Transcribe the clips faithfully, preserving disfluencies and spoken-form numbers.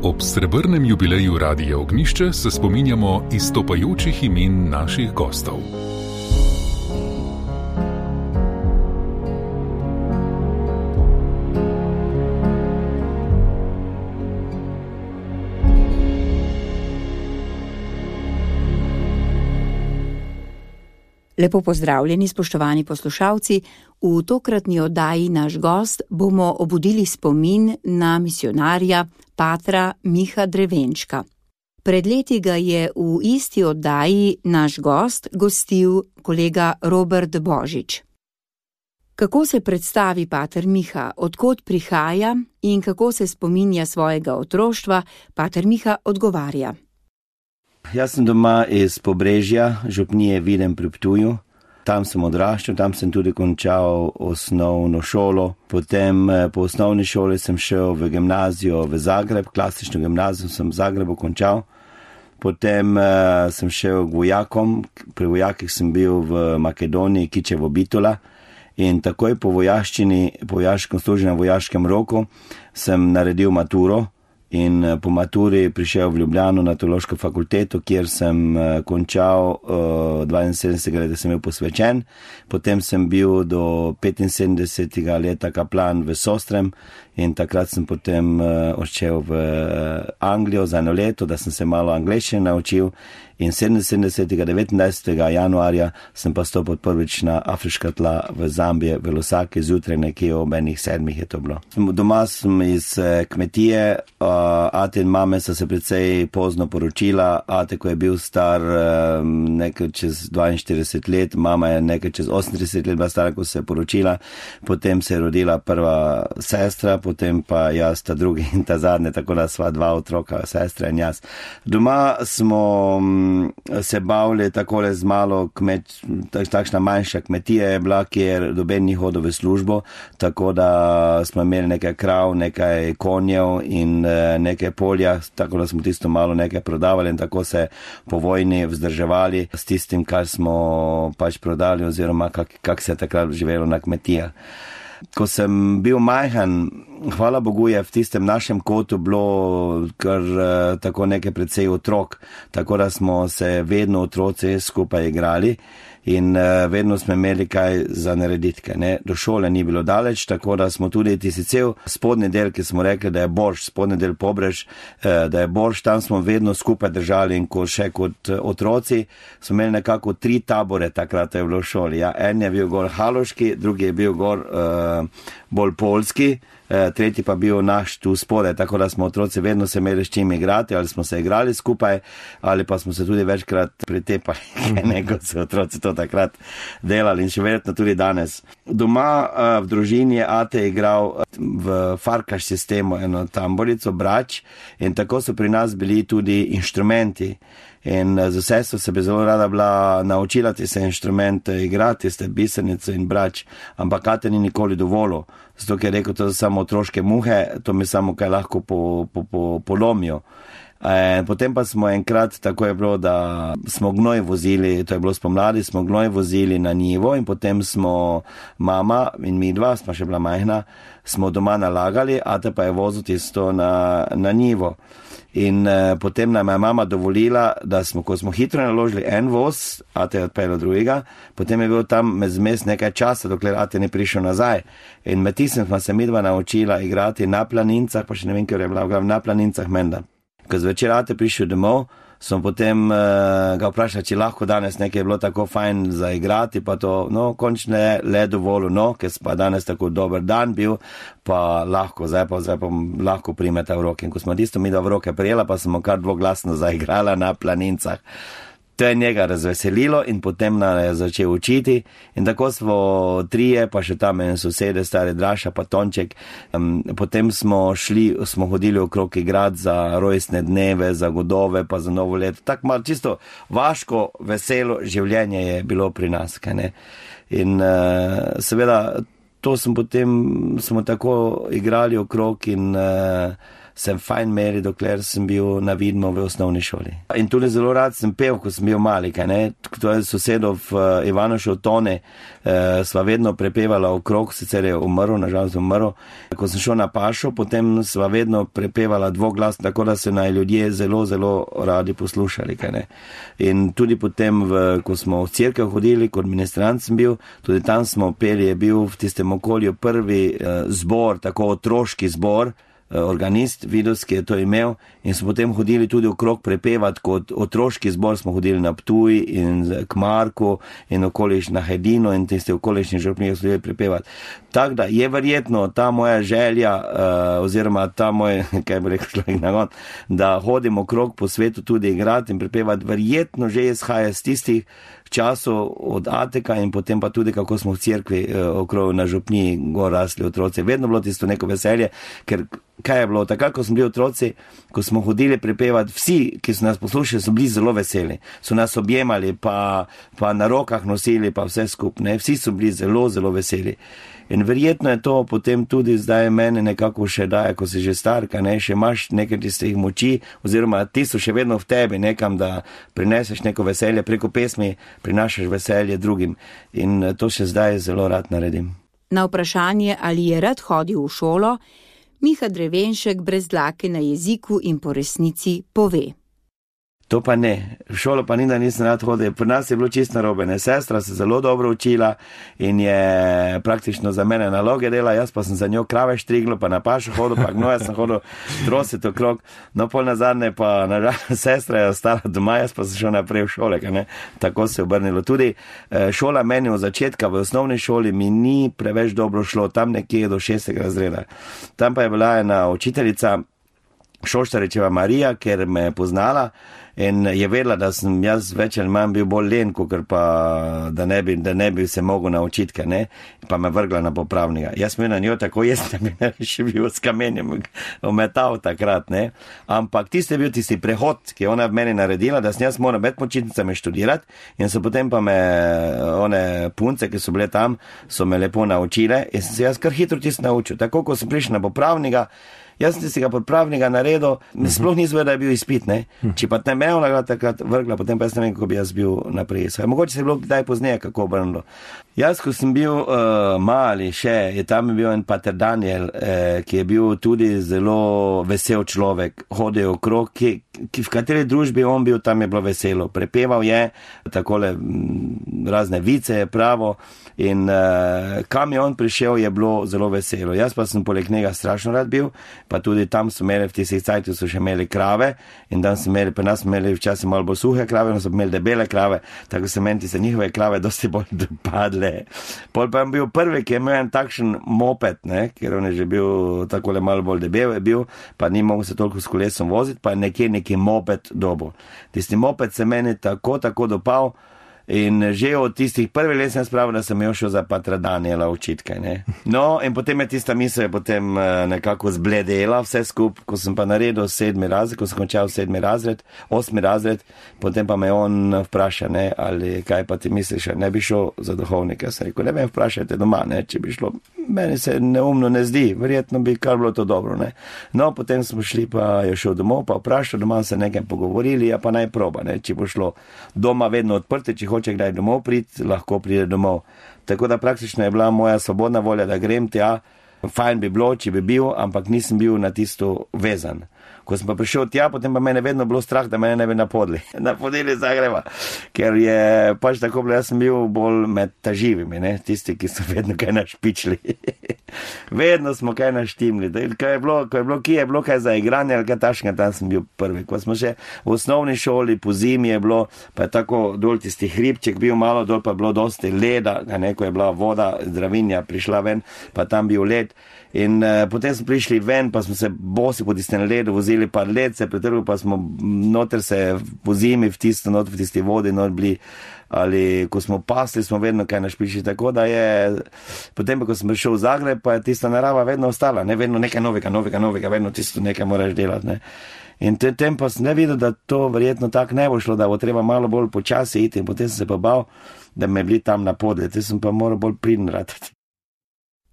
Ob srebrnem jubileju Radia Ognjišče se spominjamo izstopajočih imen naših gostov. Lepo pozdravljeni, spoštovani poslušalci. V tokratni oddaji Naš gost bomo obudili spomin na misijonarja patra Miha Drevenška. Pred leti ga je v isti oddaji Naš gost gostil kolega Robert Božič. Kako se predstavi pater Miha, od kod prihaja in kako se spominja svojega otroštva, pater Miha odgovarja. Jaz sem doma iz Pobrežja, župnije Videm pri Ptuju. Tam sem odraščal, tam sem tudi končal osnovno šolo. Potem po osnovni šoli sem šel v gimnazijo v Zagreb, klasično gimnazijo sem v Zagrebu končal. Potem uh, sem šel k vojakom, pri vojakih sem bil v Makedoniji, Kičevo Bitola. In takoj po vojaščini, po vojaškem služenju na vojaškem roku, sem naredil maturo. In po maturi prišel v Ljubljano na teološko fakulteto, kjer sem končal uh, dvainsedemdesetega leta sem bil posvečen. Potem sem bil do petinsedemdesetega leta kaplan v Sostrem in takrat sem potem uh, odšel v Anglijo za eno leto, da sem se malo angleščine naučil. In sedeminsedemdesetega devetnajstega januarja sem pa stopil prvič na afriška tla v Zambije, v Lusaki, zjutraj nekje ob enih sedmih je to bilo. Doma sem iz kmetije, ate in mame so se precej pozno poročila, ate, ko je bil star nekaj čez dvainštirideset let, mama je nekaj čez osemintrideset let bila stara, ko se je poročila, potem se je rodila prva sestra, potem pa jaz ta drugi in ta zadnje, tako da sva dva otroka, sestra in jaz. Doma smo se bavili takole z malo kmet, takšna manjša kmetija je bila, kjer doben ni hodil v službo, tako da smo imeli nekaj krav, nekaj konjev in nekaj polja, tako da smo tisto malo nekaj prodavali in tako se po vojni vzdrževali s tistim, kar smo pač prodali oziroma kak, kak se je takrat živelo na kmetijah. Ko sem bil majhen, hvala Bogu je v tistem našem kotu bilo kar tako nekaj precej otrok, tako da smo se vedno otroci skupaj igrali in vedno smo imeli kaj za narediti. Ne? Do šole ni bilo daleč, tako da smo tudi tisti cel spodnji del, ki smo rekli, da je Borš, spodnji del Pobrež, da je Borš, tam smo vedno skupaj držali in ko še kot otroci smo imeli nekako tri tabore takrat je bilo v šoli. Ja? En je bil gor haloški, drugi je bil gor uh, bolj polski, tretji pa bil naš tu spodaj, tako da smo otroci vedno se imeli s čim igrati, ali smo se igrali skupaj, ali pa smo se tudi večkrat pretepali, nego so otroci to takrat delali in še verjetno tudi danes. Doma v družini je ate igral v farkaš sistemu eno tamborico, brač in tako so pri nas bili tudi inštrumenti. In z sestro se bi zelo rada bila naučila ti se inštrumente igrati, ste bisenico in brač, ampak ate ni nikoli dovolil, zato ker je rekel, to so samo otroške muhe, to mi samo kaj lahko po, po, po, polomijo. E, potem pa smo enkrat, tako je bilo, da smo gnoj vozili, to je bilo spomladi, smo gnoj vozili na njivo in potem smo mama in mi dva, smo še bila majhna, smo doma nalagali, ate pa je vozil tisto na, na njivo. In eh, potem nam je mama dovolila, da smo, ko smo hitro naložili en voz, ate je odpeljal drugega, potem je bil tam zmes nekaj časa, dokler ate ni prišel nazaj. In med tistem smo se midva naučila igrati na planincah, pa še ne vem, ker je bila na planincah menda. Ko zvečer ate prišel domov, smo potem uh, ga vprašali, če lahko danes nekaj je bilo tako fajn za igrati, pa to, no, končno je le dovolj, no, ker pa danes tako dober dan bil, pa lahko, zdaj pa, zdaj pa lahko primeta v roke. In ko smo tisto mi da v roke prijela, pa smo kar dvoglasno zaigrala na planincah. To je njega razveselilo in potem nam je začel učiti in tako smo trije, pa še tam en sosede, stari Draša, pa Tonček. Um, potem smo šli, smo hodili okrog igrati za rojstne dneve, za godove, pa za novo leto. Tako malo čisto vaško, veselo življenje je bilo pri nas. Kaj ne? In uh, seveda to smo potem, smo tako igrali okrog in uh, sem fajn meri, dokler sem bil na vidmo v osnovni šoli. In tudi zelo rad sem pel, ko sem bil mali, kaj ne. To je sosedov uh, Ivanošov Tone, uh, sva vedno prepevala okrog, sicer je umrl, nažalost umrl. Ko sem šel na pašo, potem sva vedno prepevala dvoglas, tako da se naj ljudje zelo, zelo radi poslušali, kaj ne. In tudi potem, v, ko smo v cerkev hodili, kot ministrant sem bil, tudi tam smo peli, je bil v tistem okolju prvi uh, zbor, tako otroški zbor, organist, vidovski je to imel in smo potem hodili tudi okrog prepevati, kot otroški zbor smo hodili na Ptuj in k Marku in okoliš na Hedino in tiste okolišne župnije smo hodili prepevati. Tako da je verjetno ta moja želja uh, oziroma ta moj, kaj bi rekel človek nagon, da hodim okrog po svetu tudi igrati in prepevati, verjetno že izhaja z tistih časov od Ateka in potem pa tudi, kako smo v cerkvi uh, okrog na župniji gor rasli otroci. Vedno bilo tisto neko veselje, ker kaj je bilo, takrat, ko smo bili otroci, ko smo hodili prepevati, vsi, ki so nas poslušali, so bili zelo veseli, so nas objemali, pa, pa na rokah nosili, pa vse skupne, vsi so bili zelo, zelo veseli. In verjetno je to potem tudi zdaj mene nekako še daje, ko si že starka, ne, še imaš nekaj tistih moči, oziroma ti so še vedno v tebi nekam, da prineseš neko veselje, preko pesmi prinašaš veselje drugim. In to še zdaj zelo rad naredim. Na vprašanje, ali je rad hodil v šolo, Miha Drevenšek brez dlake na jeziku in po resnici pove. To pa ne, v šolo pa ni, da nisem rad hodil. Pri nas je bilo čisto narobe, ne, sestra se zelo dobro učila in je praktično za mene naloge dela, jaz pa sem za njo krave štriglo, pa na pašo hodil, pa gnoja sem hodil trosit okrog, no pol nazadnje pa nažalost sestra je ostala doma, jaz pa sem šel naprej v šole, kaj ne, tako se je obrnilo. Tudi šola meni od začetka v osnovni šoli mi ni preveč dobro šlo, tam nekje do šestega razreda. Tam pa je bila ena učiteljica, Šoštaričeva Marija, ker me je poznala in je vedela, da sem jaz več ali manj bil bolj len, kakor pa da ne bi, da ne bi se mogel naučiti, kaj ne, pa me vrgla na popravnika. Jaz sem na njo tako jaz, da bi me še bil s kamenjem ometal takrat, ne. Ampak tisti je bil tisti prehod, ki je ona v meni naredila, da sem jaz moral med počitnicami študirati in so potem pa me one punce, ki so bile tam, so me lepo naučile in sem se jaz kar hitro tisto naučil. Tako, ko sem prišel na popravnika, jaz sem tistega popravnika naredil, uh-huh. Sploh nisem vedel, da je bil izpit, ne. Uh-huh. Če pa te me ona takrat vrgla, potem pa jaz ne vem, kako bi jaz bil naprej. Mogoče se je bilo kdaj pozneje, kako obrnilo. Jaz, ko sem bil uh, mali še, je tam bil en pater Daniel, eh, ki je bil tudi zelo vesel človek, hodil okrog, ki, ki v kateri družbi on bil, tam je bilo veselo. Prepeval je takole m, razne vice, pravo in uh, kam je on prišel, je bilo zelo veselo. Jaz pa sem poleg njega strašno rad bil, pa tudi tam so imeli, v tistih cajtih so še imeli krave in tam so imeli, pa nas smo imeli včasih malo bolj suhe krave, no so imeli debele krave, tako se meni se njihove krave dosti bolj dopadle. Pol pa je bil prvi, ki je imel en takšen moped, ne, ker on je že bil takole malo bolj debel je bil, pa ni mogel se toliko s kolesom voziti, pa nekje neki moped dobo. Tisti moped se meni tako, tako dopal, in že od tistih prvi let sem spravil, da sem jo šel za patra Daniela učiti, ne. No, in potem je tista misel je potem nekako zbledela vse skup, ko sem pa naredil sedmi razred, ko sem končal sedmi razred, osmi razred, potem pa me on vpraša, ne, ali kaj pa ti misliš, ne bi šel za duhovnika. Sem rekel, ne vem, vprašajte doma, ne, če bi šlo. Meni se neumno ne zdi, verjetno bi kar bilo to dobro, ne. No, potem smo šli, pa je šel domov, pa vprašal, doma se nekaj pogovorili, ja pa naj proba, ne, če bo šlo. Doma vedno odprte, če če kdaj domov priti, lahko pride domov. Tako da praktično je bila moja svobodna volja, da grem tja, fajn bi bilo, če bi bil, ampak nisem bil na tisto vezan. Ko sem pa prišel tja, potem pa mene vedno bilo strah, da mene ne bi napodli. Napodili Zagreba, ker je pač tako bilo, jaz sem bil bolj med taživimi, ne, tisti, ki so vedno kaj našpičili. Vedno smo kaj naštimli. Ko je bilo, ko je bilo, ki je bilo kaj za igranje, ali kaj tašnega, tam sem bil prvi. Ko smo še v osnovni šoli, po zimi je bilo, pa je tako dol tisti hribček bil malo, dol pa je bilo dosti leda, ne, ko je bila voda, zdravinja prišla ven, pa tam bil led. In uh, potem smo prišli ven, pa smo se bosi po tistem ledu vozili, pa led se pretrgal, pa smo noter se po zimi v tisto, noter v tisti vodi, not bili, ali ko smo pasli, smo vedno kaj našpičili, tako da je, potem pa ko sem prišel v Zagreb, pa je tista narava vedno ostala, ne, vedno nekaj novega, novega, novega, vedno tisto nekaj moraš delati, ne. In tem pa sem ne videl, da to verjetno tako ne bo šlo, da bo treba malo bolj počasi iti, in potem sem se pa bal, da me bili tam napodli, te sem pa moral bolj pridn ratati.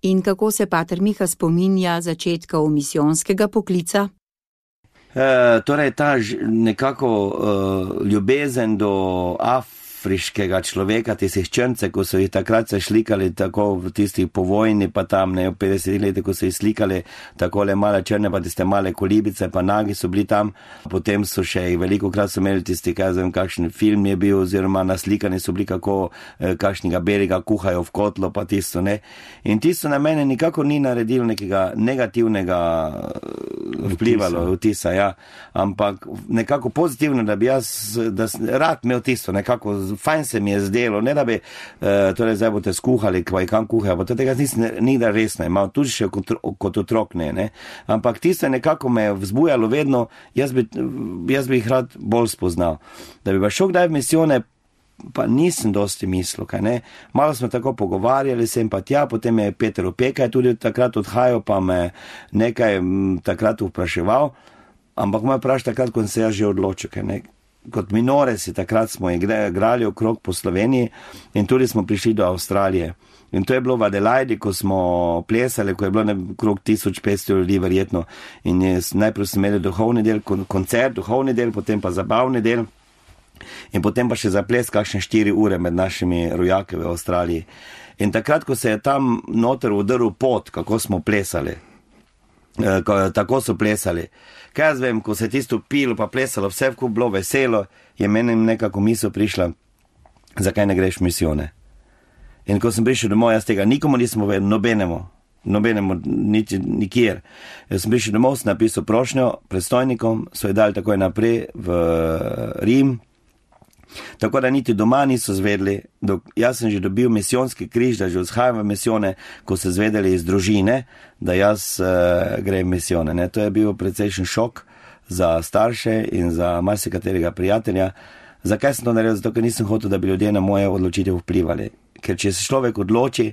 In kako se pater Miha spominja začetka misijonskega poklica? E, torej, ta ž, nekako uh, ljubezen do afriškega človeka, tistih črnce, ko so jih takrat se šlikali tako v tistih po vojni, pa tam ne v petdesetih letih, ko so jih slikali takole male črne, pa tiste male kolibice, pa nagi so bili tam. Potem so še jih veliko krat so imeli tisti, kaj zvem, kakšen film je bil, oziroma naslikani so bili, kako eh, kakšnega belega kuhajo v kotlo, pa tisto, ne. In tisto na mene nikako ni naredilo nekega negativnega vplivalo, vtisa, ja. Ampak nekako pozitivno, da bi jaz, da rad imel tisto, nekako fajn se mi je zdelo, ne da bi, uh, torej zdaj boste skuhali, kaj kam kuhajo, pa tega nisem nikdar resno imel, tudi še kot, kot otrok ne, ne. Ampak tisto nekako me je vzbujalo vedno, jaz bi, jaz bi jih rad bolj spoznal. Da bi pa šel kdaj v misijone, pa nisem dosti mislil, kaj ne. Malo smo tako pogovarjali, sem pa tja, potem je Peter Opekaj tudi takrat odhajal, pa me nekaj m, takrat vpraševal, ampak me vprašal takrat, ko sem se jaz že odločil, kaj ne. Kot minoresi takrat smo igrali okrog po Sloveniji in tudi smo prišli do Avstralije. In to je bilo v Adelaidi, ko smo plesali, ko je bilo okrog tisoč petsto ljudi verjetno. In je, najprej smo imeli duhovni del, koncert, duhovni del, potem pa zabavni del. In potem pa še za ples kakšne štiri ure med našimi rojaki v Avstraliji. In takrat, ko se je tam noter udrl pot, kako smo plesali, tako so plesali. Kaj jaz vem, ko se je tisto pilo pa plesalo, vse vkup bilo veselo, je meni nekako misel prišla, zakaj ne greš v misijone. In ko sem prišel domov, jaz tega nikomu nisem povedal, nobenemu, nobenemu, niti nikjer. Jaz sem prišel domov, sem napisal prošnjo predstojnikom, so jo dali takoj naprej v Rim, tako da niti doma niso zvedeli, dok, jaz sem že dobil misijonski križ, da že odhajam v misijone, ko so zvedeli iz družine, da jaz uh, grem v misijone. Ne. To je bil precejšen šok za starše in za marsikaterega prijatelja. Zakaj sem to naredil? Zato, ker nisem hotel, da bi ljudje na moje odločitev vplivali. Ker če se človek odloči,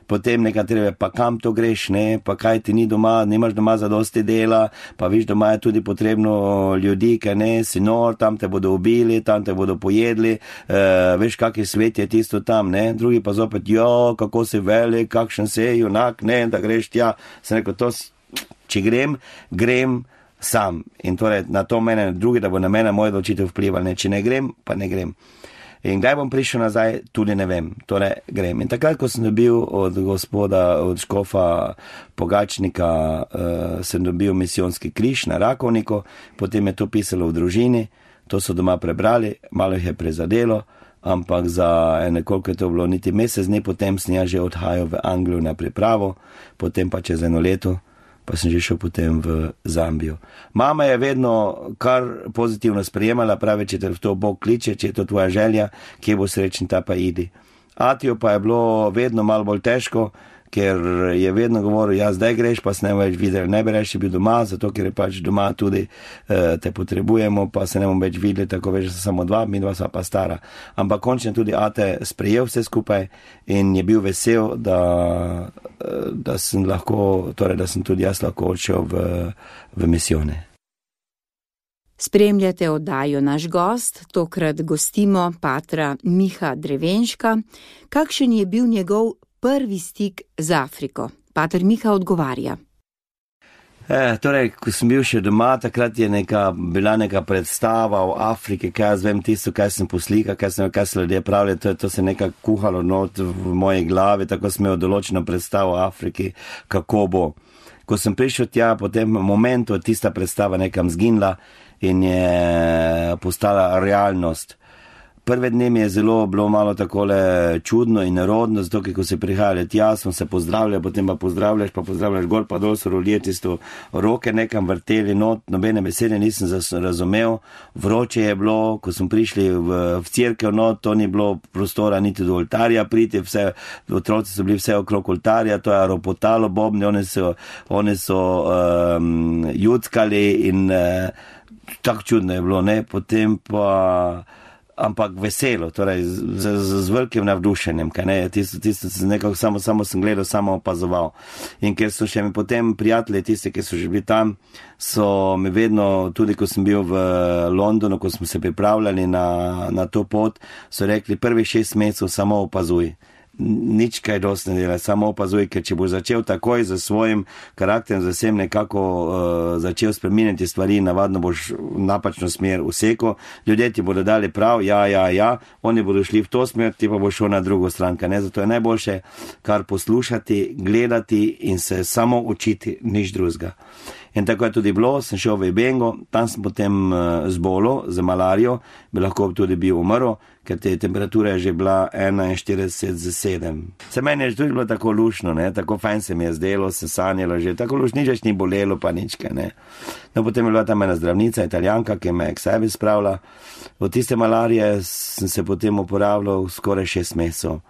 potem nekatere, pa kam to greš, ne, pa kaj ti ni doma, nimaš doma zadosti dela, pa viš, doma je tudi potrebno ljudi, ker ne, si nor, tam te bodo ubili, tam te bodo pojedli, uh, veš, kak je svet je tisto tam, ne, drugi pa zopet, jo, kako si velik, kakšen se, junak, ne, da greš tja, sem rekel, to, če grem, grem sam. In torej, na to mene, drugi, da bo na mene moj odločitev vplival, ne, če ne grem, pa ne grem. In kdaj bom prišel nazaj, tudi ne vem, torej grem. In takrat, ko sem dobil od gospoda, od škofa Pogačnika, uh, sem dobil misijonski križ na Rakovniku, potem je to pisalo v družini, to so doma prebrali, malo jih je prezadelo, ampak za nekoliko je to bilo niti mesec dni, potem sem jaz že odhajal v Anglijo na pripravo, potem pa čez eno leto, pa sem že šel potem v Zambijo. Mama je vedno kar pozitivno sprejemala, pravi, če te v to Bog kliče, če je to tvoja želja, kje bo srečen, ta pa idi. Atijo pa je bilo vedno malo bolj težko, ker je vedno govoril, ja, zdaj greš, pa se ne več videli, ne bi reči bil doma, zato ker je pač doma tudi eh, te potrebujemo, pa se ne bomo več videli, tako več, da samo dva, mi dva sva pa stara. Ampak končno tudi Ate sprejel vse skupaj in je bil vesel, da, da sem lahko, torej, da sem tudi jaz lahko odšel v, v misijone. Spremljate oddajo Naš gost, tokrat gostimo patra Miha Drevenška. Kakšen je bil njegov prvi stik z Afriko? Pater Miha odgovarja. E, torej, ko sem bil še doma, takrat je neka, bila neka predstava o Afriki, kaj jaz vem tisto, kaj sem poslika, kaj, sem, kaj se ljudje pravili, to, to se nekako kuhalo not v moji glavi, tako sem imel določeno predstavo o Afriki, kako bo. Ko sem prišel tja, potem momentu tista predstava nekam zginila in je postala realnost. Prve dni mi je zelo bilo malo takole čudno in nerodno, zato ker ko se prihajali tja, smo se pozdravljali, potem pa pozdravljaš, pa pozdravljaš gor, pa dol so ljudje tisto roke nekam vrteli not, nobene besede nisem razumel, vroče je bilo, ko smo prišli v, v cerkev not, to ni bilo prostora niti do oltarja priti, vse, otroci so bili vse okrog oltarja, to je ropotalo bobne, oni so, oni so um, juckali in uh, tako čudno je bilo, ne, potem pa ampak veselo, torej z, z, z velikim navdušenjem, kaj ne, tisto, tisto, nekako samo, samo sem gledal, samo opazoval. In ker so še mi potem prijatelji, tisti, ki so že bili tam, so mi vedno, tudi ko sem bil v Londonu, ko smo se pripravljali na, na to pot, so rekli, prvih šest mesecev samo opazuj. nič kaj dosti ne dela, samo opazuj, ker če bo začel takoj za svojim karakterom, za vsem nekako uh, začel spreminjati stvari, navadno boš v napačno smer vseko, ljudje ti bodo dali prav, ja, ja, ja, oni bodo šli v to smer, ti pa bo šel na drugo stranka, ne, zato je najboljše kar poslušati, gledati in se samo učiti, nič drugega. In tako je tudi bilo, sem šel v Ibengo, tam sem potem uh, zbolel za malarijo, bi lahko tudi bil umrl, ker te temperatura je že bila enainštirideset za sedem. Se meni je tudi bilo tako lušno, ne, tako fajn se mi je zdelo, se sanjalo že, tako lušno, nič ni bolelo pa ničke, ne. No, potem je bila tam ena zdravnica, Italijanka, ki me je k sebi spravila. Od tiste malarije sem se potem uporabljal skoraj šest mesecev.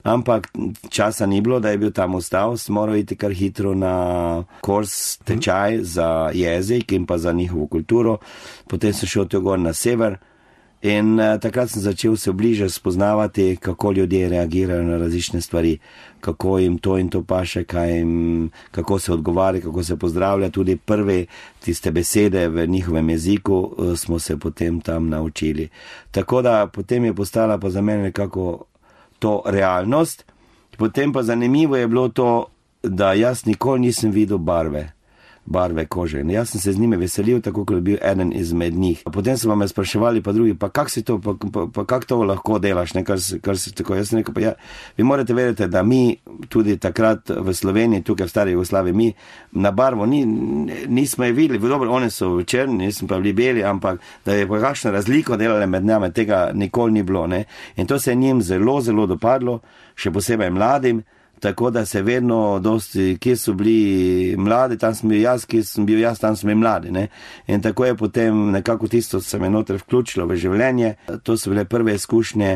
Ampak časa ni bilo, da je bil tam ostal, sem moral iti kar hitro na kurs tečaj za jezik in pa za njihovo kulturo. Potem sem šel tu gor na sever in uh, takrat sem začel se bliže spoznavati, kako ljudje reagirajo na različne stvari, kako jim to in to paše, kaj jim, kako se odgovarja, kako se pozdravlja. Tudi prve tiste besede v njihovem jeziku uh, smo se potem tam naučili. Tako da potem je postala pa za mene nekako to realnost. Potem pa zanimivo je bilo to, da jaz nikoli nisem videl barve, barve kože. In jaz sem se z njime veselil, tako kot je bil eden izmed njih. Potem so me spraševali pa drugi, pa kak si to, pa, pa, pa kak to lahko delaš, ne, kar, kar si tako. Jaz sem rekel, pa ja, vi morate vedeti, da mi tudi takrat v Sloveniji, tukaj v stari Jugoslaviji, mi na barvo ni, nismo je videli, dobro, one so črni, nismo pa bili beli, ampak da je pa kakšna razliko delala med nami, tega nikoli ni bilo, ne. In to se je njim zelo, zelo dopadlo, še posebej mladim. Tako da se vedno dosti, kje so bili mladi, tam sem bil jaz, kje sem bil jaz, tam sem bil mladi, ne. In tako je potem nekako tisto se me noter vključilo v življenje. To so bile prve izkušnje,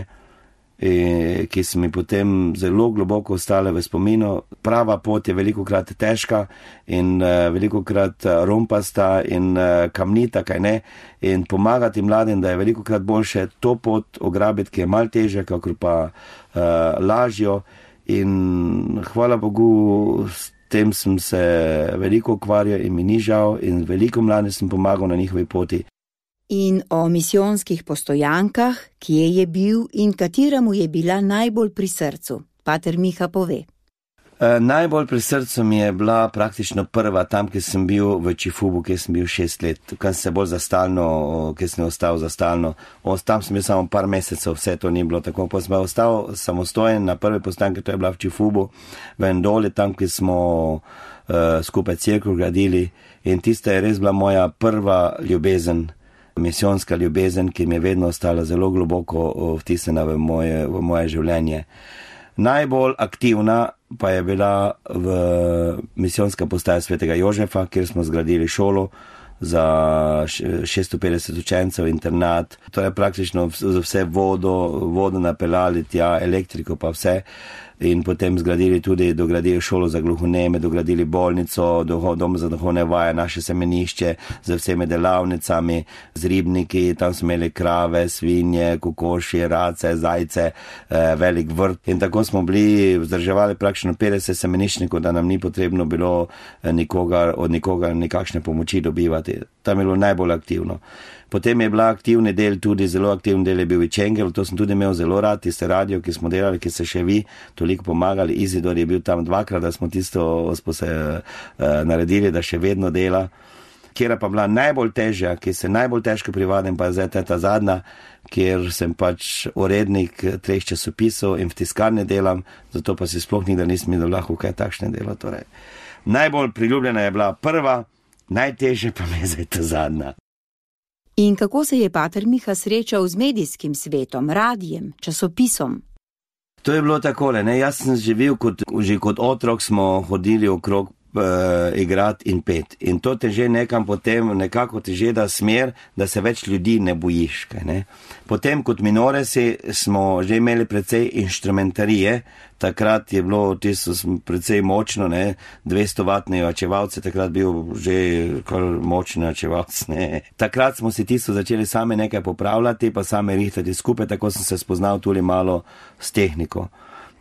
ki so mi potem zelo globoko ostale v spominu. Prava pot je velikokrat težka in velikokrat rompasta in kamnita, kaj ne. In pomagati mladim, da je velikokrat boljše to pot ograbiti, ki je malo težja, kakor pa uh, lažjo. In hvala Bogu, s tem sem se veliko ukvarjal in mi ni žal in veliko mlade sem pomagal na njihovi poti. In o misijonskih postojankah, kje je bil in katera mu je bila najbolj pri srcu, pater Miha pove. E, najbolj pri srcu mi je bila praktično prva tam, kjer sem bil v Čifubu, kjer sem bil šest let, tukaj sem se bolj zastalno, kjer sem ostal zastalno. O, tam sem bil samo par mesecev, vse to ni bilo tako. Pa sem ostal samostojen na prve postanke, to je bila v Čifubu, v Endoli, tam, kjer smo uh, skupaj cerkev gradili. In tista je res bila moja prva ljubezen, misijonska ljubezen, ki mi je vedno ostala zelo globoko vtisnjena v moje, v moje življenje. Najbolj aktivna pa je bila v misijonska postaja Svetega Jožefa, kjer smo zgradili šolo za šeststo petdeset učencev, internat. To je praktično vse vodo, vodo napeljali tja, elektriko pa vse. In potem zgradili tudi, dogradili šolo za gluhoneme, dogradili bolnico, dom za duhovne vaje, naše semenišče z vsemi delavnicami, z ribniki, tam smo imeli krave, svinje, kokoši, race, zajce, eh, velik vrt. In tako smo bili, vzdrževali praktično petdeset semeniščnikov, da nam ni potrebno bilo nikogar, od nikoga nikakšne pomoči dobivati. Tam je bilo najbolj aktivno. Potem je bila aktivni del, tudi zelo aktivni del je bil Vičengel, to sem tudi imel zelo rad, tiste radio, ki smo delali, ki se še vi toliko pomagali. Izidor je bil tam dvakrat, da smo tisto smo se uh, naredili, da še vedno dela. Kjer pa bila najbolj težja, ki se najbolj težko privadim, pa je zdaj ta zadnja, kjer sem pač urednik treh časopisov in v tiskarni delam, zato pa si sploh nikdar nisem imel lahko kaj takšne delo. Torej, najbolj priljubljena je bila prva, najtežje pa mi je zdaj ta zadnja. In kako se je pater Miha srečal z medijskim svetom, radijem, časopisom? To je bilo takole, ne, jaz sem živel kot, že kot otrok smo hodili okrog uh, igrat in pet. In to te že nekam potem, nekako te že da smer, da se več ljudi ne bojiš, kaj ne. Potem kot minoresi smo že imeli precej inštrumentarije, takrat je bilo tisto precej močno, ne, dvesto vatni očevalci, takrat bil že kar močni očevalc, ne. Takrat smo si tisto začeli sami nekaj popravljati, pa sami rihtati skupaj, tako sem se spoznal tudi malo s tehniko.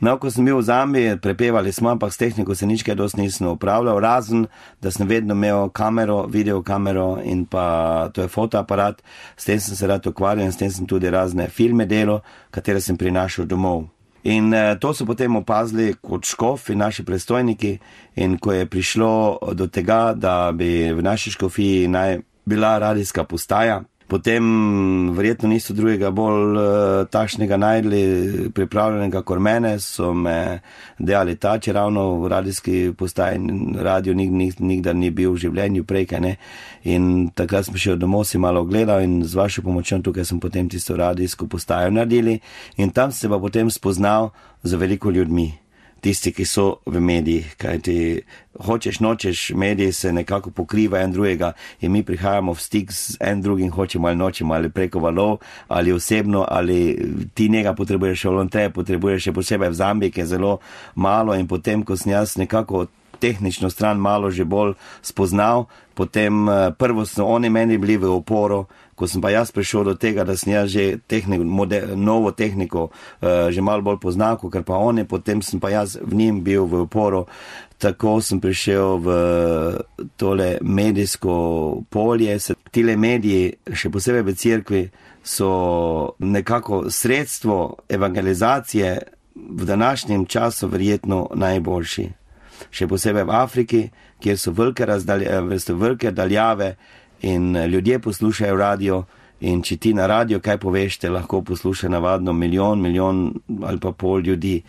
No, ko sem bil v Zambiji, prepevali smo, ampak s tehniko se nič kaj dosti nisem upravljal, razen, da sem vedno imel kamero, videokamero in pa to je fotoaparat, s tem sem se rad ukvarjal in s tem sem tudi razne filme delal, katere sem prinašal domov. In uh, to so potem opazili kot škofi, naši predstojniki, in ko je prišlo do tega, da bi v naši škofiji naj bila radijska postaja, potem verjetno niso drugega bolj uh, takšnega najdli pripravljenega kot mene, so me dejali ta, če ravno v radijski postaji radio nik, nik, nikdar ni bil v življenju prej, kaj ne. In takrat sem šel domov, si malo ogledal in z vašo pomočjo tukaj sem potem tisto radijsko postajo naredili in tam se pa potem spoznal z veliko ljudmi. Tisti, ki so v medijih, kajti hočeš, nočeš, mediji se nekako pokriva en drugega in mi prihajamo v stik z en drugim, hočemo ali nočemo, ali preko valov, ali osebno, ali ti njega potrebuješ, ali on te potrebuješ, še posebej v Zambiji, ki je zelo malo in potem, ko sem jaz nekako tehnično stran malo že bolj spoznal, potem prvo so oni meni bili v oporo, ko sem pa jaz prišel do tega, da sem jaz že tehniko, model, novo tehniko uh, že malo bolj poznal, ker pa oni, potem sem pa jaz v njim bil v oporo, tako sem prišel v tole medijsko polje. Tile mediji, še posebej v cerkvi, so nekako sredstvo evangelizacije v današnjem času verjetno najboljši. Še posebej v Afriki, kjer so velike, razdalje, so velike daljave in ljudje poslušajo radio in če ti na radio kaj poveš, te lahko posluša navadno milijon, milijon ali pa pol ljudi.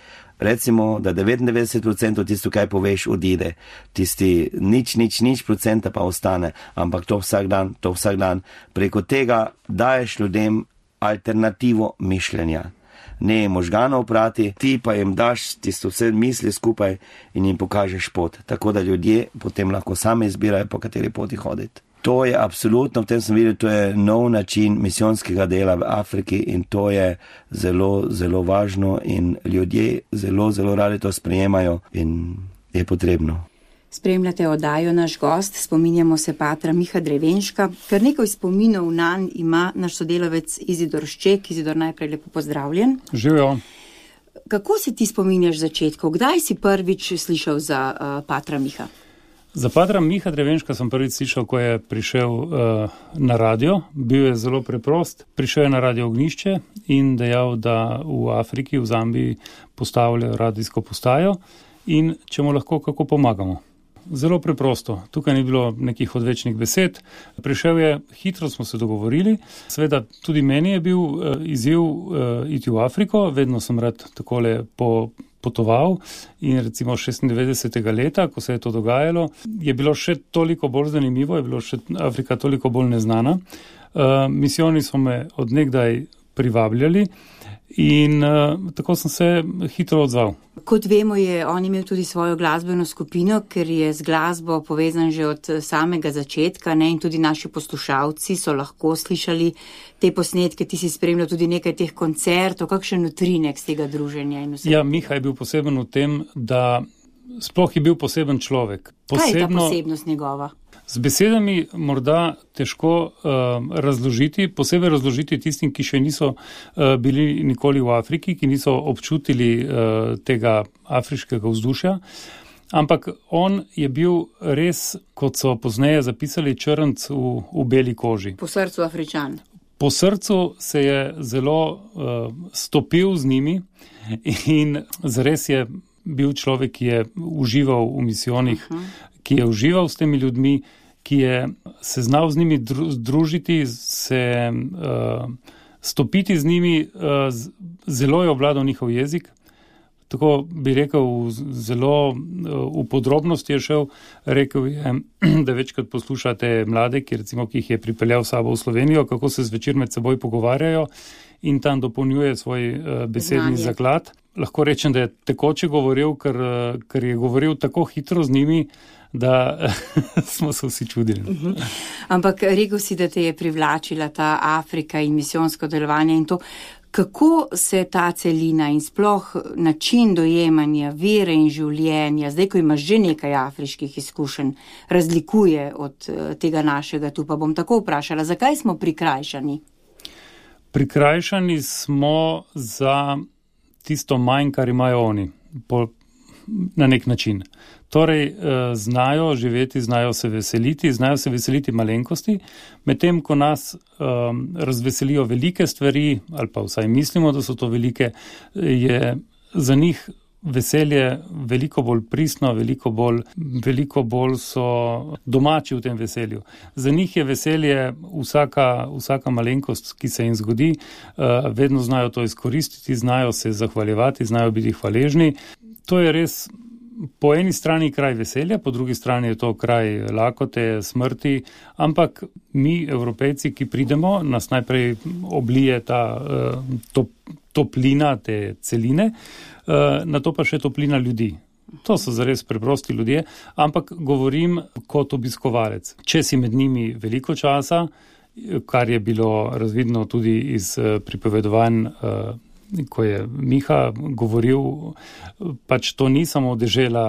Recimo, da devetindevetdeset procentov tisto, kaj poveš, odide. Tisti nič, nič, nič procenta pa ostane, ampak to vsak dan, to vsak dan. Preko tega daješ ljudem alternativo mišljenja. Ne možganov prati, ti pa jim daš tisto vse misli skupaj in jim pokažeš pot. Tako da ljudje potem lahko sami izbirajo, po kateri poti hoditi. To je absolutno, v tem sem videl, to je nov način misijonskega dela v Afriki in to je zelo, zelo važno in ljudje zelo, zelo radi to sprejemajo in je potrebno. Spremljate oddajo Naš gost, spominjamo se patra Miha Drevenška, kar nekaj spominov nanj ima naš sodelavec Izidor Šček. Izidor, najprej lepo pozdravljen. Živijo. Kako se ti spominjaš začetkov? Kdaj si prvič slišal za uh, patra Miha? Za patra Miha Drevenška sem prvič slišal, ko je prišel uh, na radio. Bil je zelo preprost. Prišel je na radio Ognjišče in dejal, da v Afriki, v Zambiji postavljajo radijsko postajo in če mu lahko kako pomagamo. Zelo preprosto. Tukaj ni bilo nekih odvečnih besed. Prišel je, hitro smo se dogovorili. Seveda tudi meni je bil uh, izziv uh, iti v Afriko. Vedno sem rad takole po potoval in recimo šestindevetdesetega leta, ko se je to dogajalo, je bilo še toliko bolj zanimivo, je bilo še Afrika toliko bolj neznana. Uh, misijoni so me od nekdaj privabljali in uh, tako sem se hitro odzval. Kot vemo, je on imel tudi svojo glasbeno skupino, ker je z glasbo povezan že od samega začetka, ne? In tudi naši poslušalci so lahko slišali te posnetke, ti si spremljal tudi nekaj teh koncertov, kakšen utrinek z tega druženja in vse. Ja, Miha je bil poseben v tem, da sploh je bil poseben človek. Posebno, kaj je ta posebnost njegova? Z besedami morda težko uh, razložiti, posebej razložiti tistim, ki še niso uh, bili nikoli v Afriki, ki niso občutili uh, tega afriškega vzdušja. Ampak on je bil res, kot so pozneje zapisali, črnc v, v beli koži. Po srcu Afričan. Po srcu se je zelo uh, stopil z njimi in zares je bil človek, ki je užival v misijonih, uh-huh. ki je užival s temi ljudmi, ki je se znal z njimi združiti, se uh, stopiti z njimi, uh, zelo je obvladal njihov jezik. Tako bi rekel, zelo uh, v podrobnosti je šel, rekel je, da večkrat poslušate mlade, ki, recimo, ki jih je pripeljal sabo v Slovenijo, kako se zvečer med seboj pogovarjajo in tam dopolnjuje svoj uh, besedni Znanje. zaklad. Lahko rečem, da je tekoče govoril, ker, ker je govoril tako hitro z njimi, da smo se vsi čudili. Uh-huh. Ampak rekel si, da te je privlačila ta Afrika in misijonsko delovanje in to, kako se ta celina in sploh način dojemanja vere in življenja, zdaj, ko imaš že nekaj afriških izkušenj, razlikuje od tega našega. Tu pa bom tako vprašala, zakaj smo prikrajšani? Prikrajšani smo za tisto manj, kar imajo oni, po, na nek način. Torej, znajo živeti, znajo se veseliti, znajo se veseliti malenkosti, medtem ko nas um, razveselijo velike stvari, ali pa vsaj mislimo, da so to velike, je za njih veselje veliko bolj pristno, veliko bolj, veliko bolj so domači v tem veselju. Za njih je veselje vsaka, vsaka malenkost, ki se jim zgodi, vedno znajo to izkoristiti, znajo se zahvaljevati, znajo biti hvaležni. To je res po eni strani kraj veselja, po drugi strani je to kraj lakote, smrti, ampak mi, Evropejci, ki pridemo, nas najprej oblije ta to, toplina, te celine, na to pa še toplina ljudi. To so zares preprosti ljudje, ampak govorim kot obiskovalec. Če si med njimi veliko časa, kar je bilo razvidno tudi iz pripovedovanj, ko je Miha govoril, pač to ni samo dežela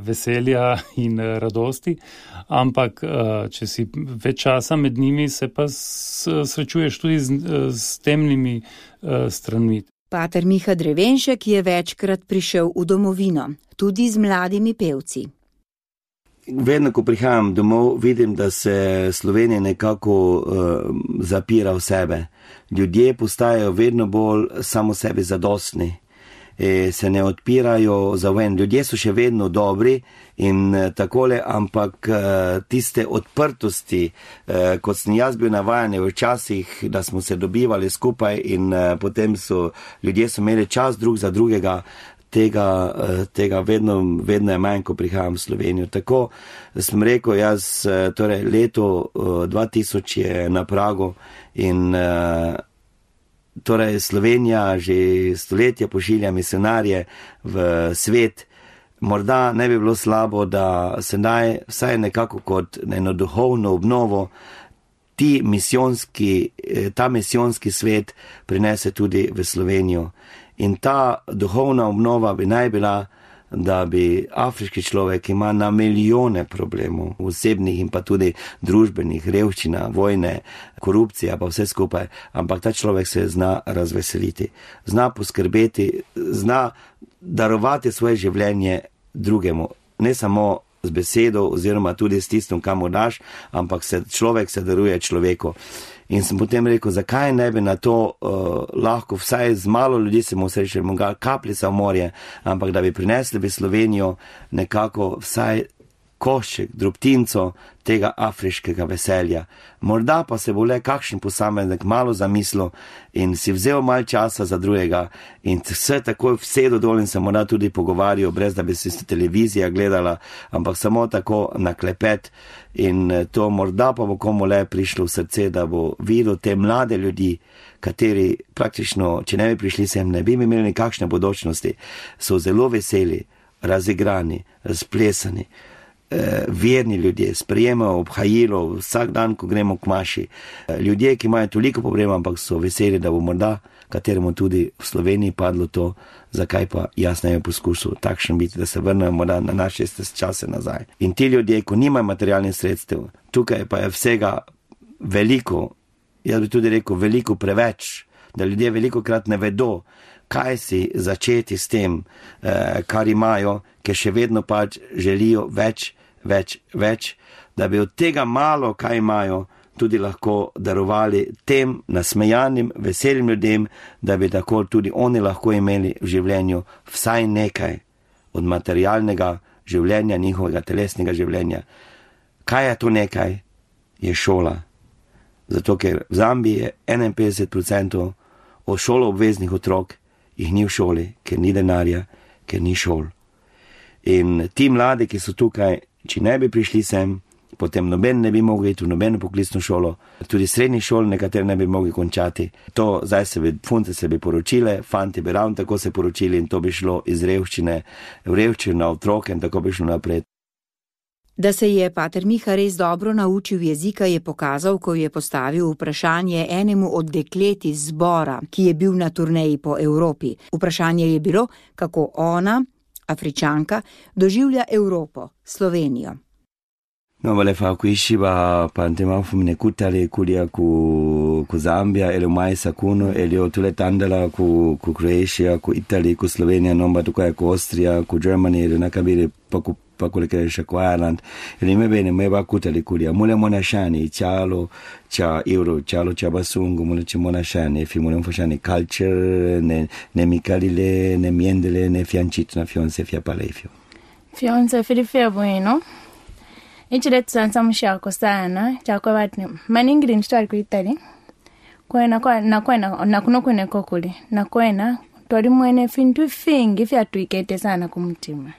veselja in radosti, ampak če si več časa med njimi, se pa srečuješ tudi z, z temnimi stranmi. Pater Miha Drevenšek je večkrat prišel v domovino, tudi z mladimi pevci. Vedno, ko prihajam domov, vidim, da se Slovenija nekako uh, zapira v sebe. Ljudje postajajo vedno bolj samo sebi zadostni, e, se ne odpirajo za ven. Ljudje so še vedno dobri in uh, takole, ampak uh, tiste odprtosti, uh, kot sem jaz bil navajen včasih, da smo se dobivali skupaj in uh, potem so ljudje so imeli čas drug za drugega, Tega, tega vedno, vedno je manj, ko prihajam v Slovenijo. Tako sem rekel, jaz, torej leto dva tisoč je na pragu in torej Slovenija že stoletja pošilja misionarje v svet. Morda ne bi bilo slabo, da se naj vsaj nekako kot eno duhovno obnovo ti misijonski, ta misijonski svet prinese tudi v Slovenijo. In ta duhovna obnova bi naj bila, da bi afriški človek, ki ima na milijone problemov, osebnih in pa tudi družbenih, revščina, vojne, korupcija, pa vse skupaj, ampak ta človek se zna razveseliti, zna poskrbeti, zna darovati svoje življenje drugemu, ne samo z besedo oziroma tudi s tistim, kam mu daš, ampak se, človek se daruje človeku. In sem potem rekel, zakaj ne bi na to uh, lahko vsaj z malo ljudi se mu srečali, kapljica v morje, ampak da bi prinesli v Slovenijo nekako vsaj košček, drobtinco tega afriškega veselja. Morda pa se bo le kakšen posameznik malo zamislil in si vzel malo časa za drugega in vse takoj vsedo dol in se morda tudi pogovarjal, brez da bi si televizija gledala, ampak samo tako na klepet in to morda pa bo komu le prišlo v srce, da bo videl te mlade ljudi, kateri praktično, če ne bi prišli sem, ne bi imeli nekakšne bodočnosti, so zelo veseli, razigrani, razplesani, verni ljudje, sprejemajo obhajilo vsak dan, ko gremo k maši. Ljudje, ki imajo toliko problemov, ampak so veseli, da bo morda kateremu tudi v Sloveniji padlo to, zakaj pa jaz ne bi poskusil takšen biti, da se vrnejo morda na naše čase nazaj. In ti ljudje, ko nimajo materialnih sredstev, tukaj pa je vsega veliko, jaz bi tudi rekel veliko preveč, da ljudje veliko krat ne vedo, kaj si začeti s tem, kar imajo, ker še vedno pač želijo več, več, več, da bi od tega malo, kaj imajo, tudi lahko darovali tem nasmejanim, veselim ljudem, da bi tako tudi oni lahko imeli v življenju vsaj nekaj od materialnega življenja, njihovega telesnega življenja. Kaj je to nekaj? Je šola. Zato, ker v Zambiji je enainpetdeset procentov od šoloobveznih otrok jih ni v šoli, ker ni denarja, ker ni šol. In ti mladi, ki so tukaj, če ne bi prišli sem, potem noben ne bi mogli iti v nobeno poklicno šolo, tudi srednjih šol nekatere ne bi mogli končati. To zdaj se bi, funte se bi poročile, fanti bi ravno tako se poročili in to bi šlo iz revščine v revščino na otroke in tako bi šlo naprej. Da se je pater Miha res dobro naučil jezika, je pokazal, ko je postavil vprašanje enemu od deklet iz zbora, ki je bil na turneji po Evropi. Vprašanje je bilo, kako ona, Afričanka, doživlja Evropo, Slovenijo. No, volevo kuishiva pantema fumine kutale kulia ku ku Zambia ele maisa kuno ele otule tandala ku ku Croatia ku Italy ku Slovenija nomba tukaj ku Austria ku Germany ele nakabile pa ku pa quello che riesce qua a Ireland, e mi bene, mi va cuta le culia, mole monashani, cialo, cia euro, cialo, cia basungo, mole ci monashani, fi mole monashani culture, ne, ne micalile, ne miendele, ne fiancito, na fionse, fia palefio. Fionse, filifia bueno. Ichi letu sansa mshako sana, chakwa watu, maningiri nishtuwa kuitali, kwena, kwena, kwena, na kuno kwene kokuli, na kwena, tori mwene fintu fingi, fia tuikete sana kumtima.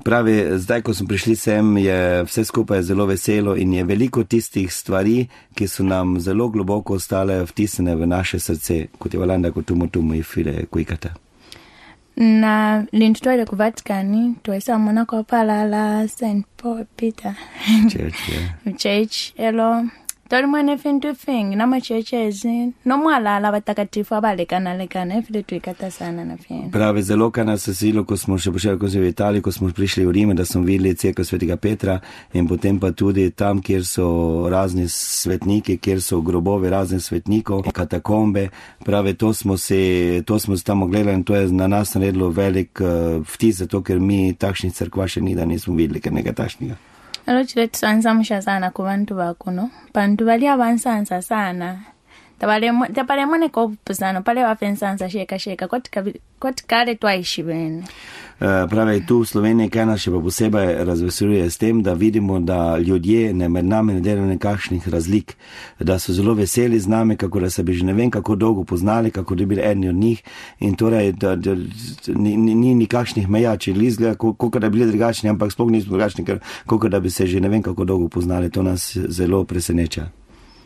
Pravi, zdaj, ko smo prišli sem, je vse skupaj zelo veselo in je veliko tistih stvari, ki so nam zelo globoko ostale vtisnjene v naše srce, kot je valanda, kot tumu tumu i file kuikata. Na lintutoile ku Vatikani, tuwesa mwana kwa palala Saint Paul Peter. Church, yeah. Church, elo. Tori mwene fintu fingi, nama churchezi, no mwalala watakatifu abalekana lekana, file tuikata sana na fiena. Pravi, zelo ka nas silo, ko smo še počeli, ko smo v Italiji, ko smo prišli v Rime, da smo videli cerkev Svetega Petra in potem pa tudi tam, kjer so razni svetniki, kjer so grobovi raznih svetnikov, katakombe. Pravi, to smo se, to smo se tam ogledali in to je na nas naredilo velik uh, vtis, zato ker mi takšnih cerkva še ni, da nismo videli, ker nekaj takšnega. Alo chile tusansamusha sana ku bantu bakuno. Bantu bali abansansa sana. Tabale tabale mwane ko pusano pale wafensansa sheka sheka kot kale twaishi bene. Uh, pravi, tu v Sloveniji, kaj nas še pa posebej razveseljuje s tem, da vidimo, da ljudje ne med nami ne delajo nekakšnih razlik, da so zelo veseli z nami, kako da se bi že ne vem kako dolgo poznali, kako da bi bili eni od njih in torej, da, da ni, ni nikakšnih meja, če izgleda, kako da bi bili drugačni, ampak sploh nismo drugačni, ker kako da bi se že ne vem kako dolgo poznali, to nas zelo preseneča.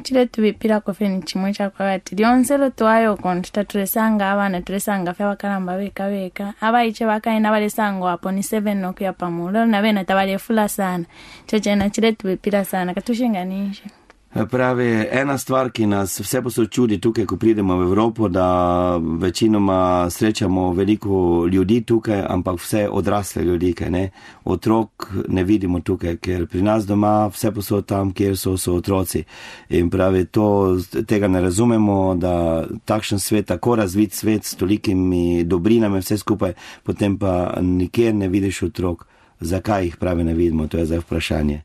Chile tubipira kofeni chimwe chakwa wati. Dionselo tuwayo kontuta tulesanga abana tulesanga fya wakalamba weka weka. Aba iche waka ina wale sango hapo ni seven noku ya pamulo. Na vena tabale fula sana. Cheche na chile tubipira sana. Katushinga nishi. Pravi, ena stvar, ki nas vse posod čudi tukaj, ko pridemo v Evropo, da večinoma srečamo veliko ljudi tukaj, ampak vse odrasle ljudi, kaj ne. Otrok ne vidimo tukaj, ker pri nas doma vse posod tam, kjer so, so otroci. In pravi, to, tega ne razumemo, da takšen svet, tako razvit svet s tolikimi dobrinami vse skupaj, potem pa nikjer ne vidiš otrok. Zakaj jih pravi ne vidimo, to je zdaj vprašanje.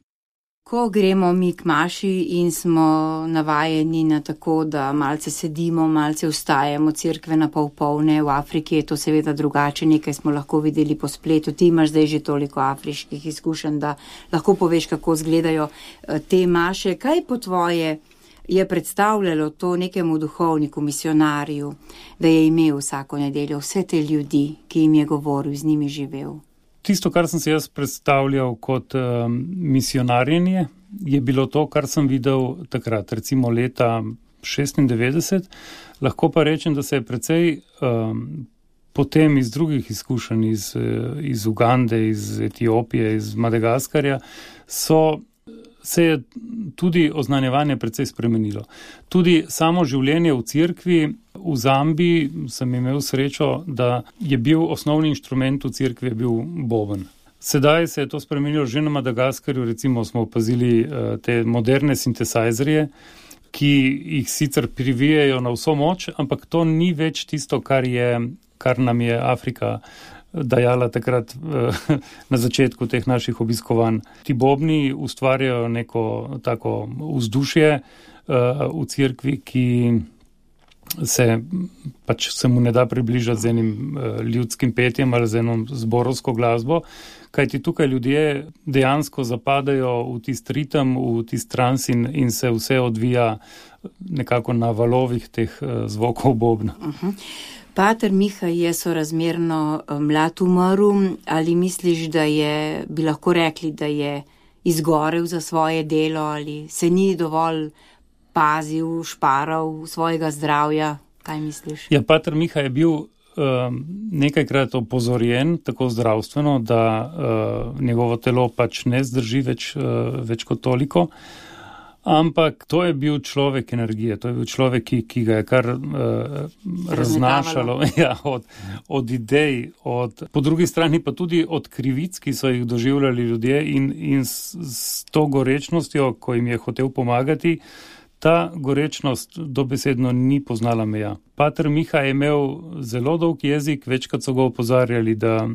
Ko gremo mi k maši in smo navajeni na tako, da malce sedimo, malce vstajamo, cerkve na pol polne, v Afriki je to seveda drugače, nekaj smo lahko videli po spletu, ti imaš zdaj že toliko afriških izkušenj, da lahko poveš, kako izgledajo te maše. Kaj po tvoje je predstavljalo to nekemu duhovniku, misionarju, da je imel vsako nedeljo vse te ljudi, ki jim je govoril, z njimi živel? Tisto, kar sem se jaz predstavljal kot um, misionarjenje, je bilo to, kar sem videl takrat, recimo leta šestindevetdeset. Lahko pa rečem, da se je precej um, potem iz drugih izkušenj, iz, iz Ugande, iz Etiopije, iz Madagaskarja, so, se je tudi oznanjevanje precej spremenilo. Tudi samo življenje v cerkvi, v Zambiji sem imel srečo, da je bil osnovni inštrument v cerkvi bil boben. Sedaj se je to spremenilo že na Madagaskarju, recimo smo opazili uh, te moderne sintesajzerje, ki jih sicer privijajo na vso moč, ampak to ni več tisto, kar, je, kar nam je Afrika dajala takrat uh, na začetku teh naših obiskovanj. Ti bobni ustvarjajo neko tako vzdušje uh, v cerkvi, ki se pač se mu ne da približati z enim uh, ljudskim petjem ali z eno zborovsko glasbo, kajti tukaj ljudje dejansko zapadajo v tist ritem, v tist trans in, in se vse odvija nekako na valovih teh uh, zvokov bobna. Uh-huh. Pater Miha je sorazmerno mlad umrl, ali misliš, da je, bi lahko rekli, da je izgorel za svoje delo ali se ni dovolj pazil, šparal svojega zdravja? Kaj misliš? Ja, pater Miha je bil um, nekajkrat opozorjen, tako zdravstveno, da uh, njegovo telo pač ne zdrži več, uh, več kot toliko. Ampak to je bil človek energije, to je bil človek, ki, ki ga je kar uh, raznašalo ja, od, od idej, od, po drugi strani pa tudi od krivic, ki so jih doživljali ljudje in, in s, s to gorečnostjo, ko jim je hotel pomagati, ta gorečnost dobesedno ni poznala meja. Pater Miha je imel zelo dolg jezik, večkrat so ga opozarjali, da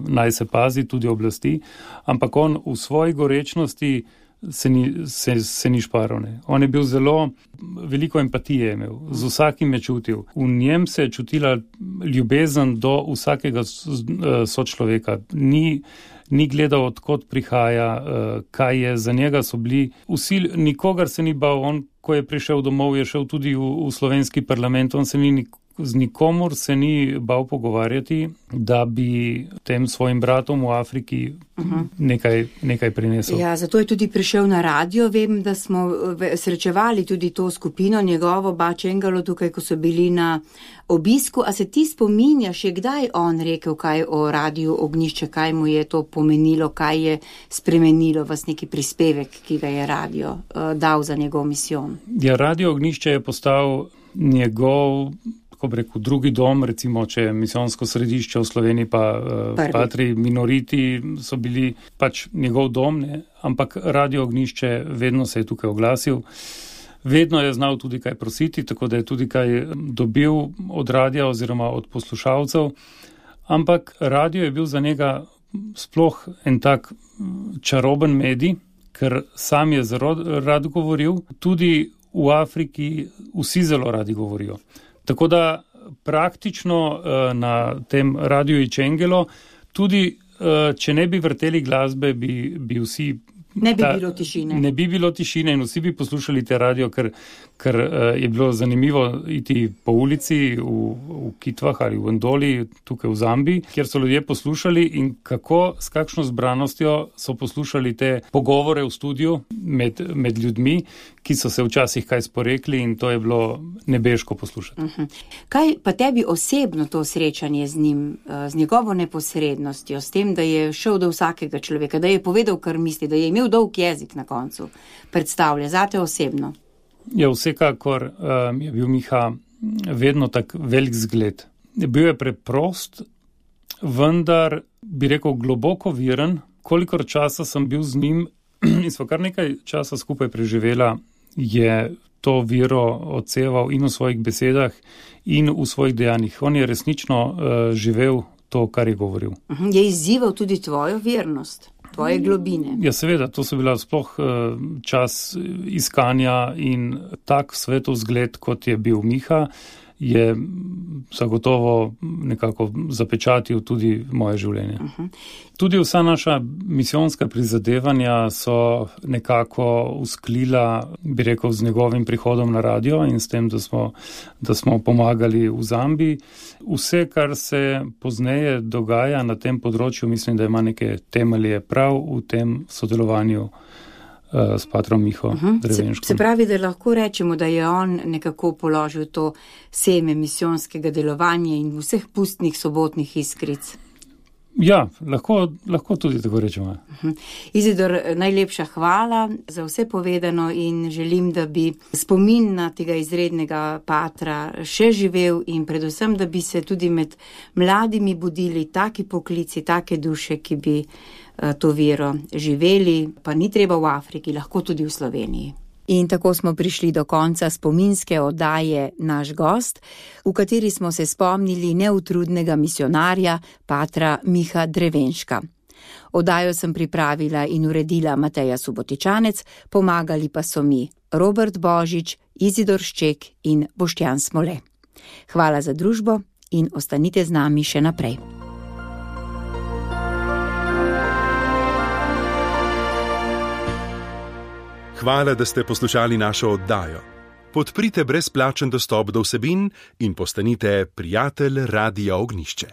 naj se pazi tudi oblasti, ampak on v svoji gorečnosti se ni, se, se ni šparal. Ne. On je bil zelo, veliko empatije imel, z vsakim je čutil. V njem se je čutila ljubezen do vsakega sočloveka. Ni, ni gledal, odkot prihaja, kaj je za njega so bili. Vsi, nikogar se ni bal, on, ko je prišel domov, je šel tudi v, v slovenski parlament, on se ni nikoli z nikomor se ni bal pogovarjati, da bi tem svojim bratom v Afriki uh-huh. nekaj, nekaj prinesel. Ja, zato je tudi prišel na radio. Vem, da smo srečevali tudi to skupino njegovo, Bačengalo, tukaj, ko so bili na obisku. A se ti spominjaš, je kdaj on rekel kaj o Radiu Ognjišče, kaj mu je to pomenilo, kaj je spremenilo vas neki prispevek, ki ga je radio uh, dal za njegov misijon? Ja, Radio Ognjišče je postal njegov, kako bi rekel, drugi dom, recimo, če je misijonsko središče v Sloveniji, pa uh, Patri Minoriti so bili pač njegov dom, ne? Ampak Radio Ognjišče vedno se je tukaj oglasil. Vedno je znal tudi kaj prositi, tako da je tudi kaj dobil od radija oziroma od poslušalcev. Ampak radio je bil za njega sploh en tak čaroben medij, ker sam je zelo rad govoril, tudi v Afriki vsi zelo radi govorijo. Tako da praktično na tem Radiu Icengelo, tudi če ne bi vrteli glasbe, bi, bi vsi... Ne bi ta, bilo tišine. Ne bi bilo tišine in vsi bi poslušali te radio, ker, ker je bilo zanimivo iti po ulici v, v Kitvah ali v Ndoli, tukaj v Zambiji, kjer so ljudje poslušali in kako, s kakšno zbranostjo so poslušali te pogovore v studiu med, med ljudmi, ki so se včasih kaj sporekli in to je bilo nebeško poslušati. Uh-huh. Kaj pa tebi osebno to srečanje z njim, z njegovo neposrednostjo, s tem, da je šel do vsakega človeka, da je povedal, kar misli, da je imel dolg jezik na koncu, predstavlja zate osebno? Ja, vsekakor um, je bil Miha vedno tak velik zgled. Bil je preprost, vendar bi rekel globoko viren. Kolikor časa sem bil z njim in sva kar nekaj časa skupaj preživela, je to vero odseval in v svojih besedah in v svojih dejanjih. On je resnično uh, živel to, kar je govoril. Je izzival tudi tvojo vernost, tvoje globine. Ja, seveda, to so bila sploh uh, čas iskanja in tak svetov zgled, kot je bil Miha, je zagotovo nekako zapečatil tudi moje življenje. Uh-huh. Tudi vsa naša misijonska prizadevanja so nekako usklila, bi rekel, z njegovim prihodom na radio in s tem, da smo, da smo pomagali v Zambiji. Vse, kar se pozneje dogaja na tem področju, mislim, da ima neke temelje prav v tem sodelovanju s patrom Miho uh-huh. Drevenškom. Se, se pravi, da lahko rečemo, da je on nekako položil to seme misijonskega delovanja in vseh pustnih sobotnih iskric. Ja, lahko, lahko tudi tako rečemo. Uh-huh. Izidor, najlepša hvala za vse povedano in želim, da bi spomin na tega izrednega patra še živel in predvsem, da bi se tudi med mladimi budili taki poklici, take duše, ki bi to vero živeli, pa ni treba v Afriki, lahko tudi v Sloveniji. In tako smo prišli do konca spominske oddaje Naš gost, v kateri smo se spomnili neutrudnega misionarja patra Miha Drevenška. Oddajo sem pripravila in uredila Mateja Subotičanec, pomagali pa so mi Robert Božič, Izidor Šček in Boštjan Smole. Hvala za družbo in ostanite z nami še naprej. Hvala, da ste poslušali našo oddajo. Podprite brezplačen dostop do vsebin in postanite prijatelj Radia Ognjišče.